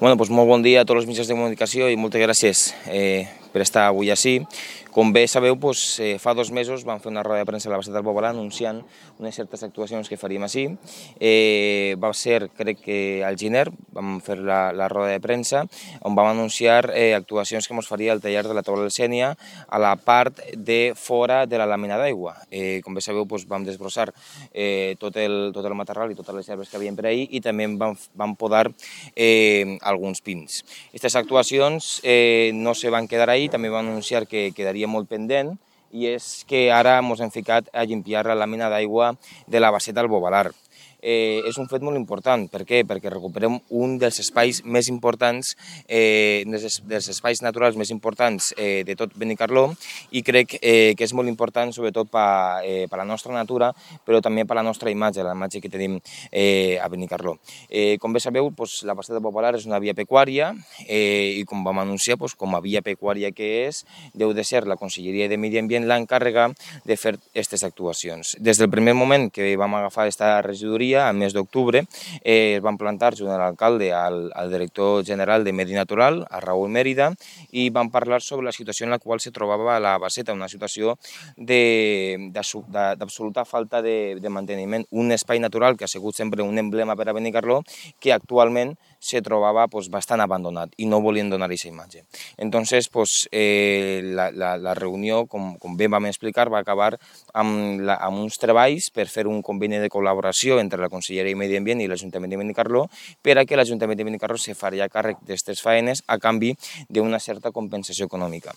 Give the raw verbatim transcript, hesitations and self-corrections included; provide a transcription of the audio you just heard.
Bueno, doncs molt bon dia a tots els mitjans de comunicació i moltes gràcies eh, per estar avui així. Com bé sabeu, doncs, eh, fa dos mesos vam fer una roda de premsa a la Baseta del Bobolà anunciant unes certes actuacions que faríem així. Eh, va ser, crec que al gener, vam fer la, la roda de premsa on vam anunciar eh, actuacions que ens faria el taller de la taula del Sénia a la part de fora de la làmina d'aigua. Eh, com bé sabeu, doncs, vam desbrossar eh, tot, el, tot el matorral i totes les herbes que havien per ahir i també vam, vam podar eh, alguns pins. Aquestes actuacions eh, no se van quedar ahí, també vam anunciar que quedaria molt pendent, i és que ara ens hem ficat a limpiar la làmina d'aigua de la Baseta del Bobolà. Eh, és un fet molt important. Per què? Perquè recuperem un dels espais més importants, eh, dels, dels espais naturals més importants eh, de tot Benicarló, i crec eh, que és molt important sobretot per eh, la nostra natura, però també per la nostra imatge, la imatge que tenim eh, a Benicarló. Eh, com bé sabeu, doncs, la Baseta del Bobolà és una via pecuària eh, i com vam anunciar, doncs, com a via pecuària que és, deu de ser la Conselleria de Medi Ambient l'encàrrega de fer aquestes actuacions. Des del primer moment que vam agafar aquesta regidoria, al mes d'octubre, eh, es van plantar junt a l'alcalde, al, al director general de Medi Natural, a Raúl Mérida, i van parlar sobre la situació en la qual se trobava la Baseta, una situació d'absoluta falta de, de manteniment, un espai natural que ha sigut sempre un emblema per a Benicarló, que actualment se trobava pues, bastant abandonat i no volien donar aquesta imatge. Entonces, pues, eh, la, la, la reunió, com, com bé vam explicar, va acabar amb, la, amb uns treballs per fer un conveni de col·laboració entre la Conselleria de Medi Ambient i l'Ajuntament de Benicarló per a que l'Ajuntament de Benicarló se faria càrrec d'aquestes faenes a canvi d'una certa compensació econòmica.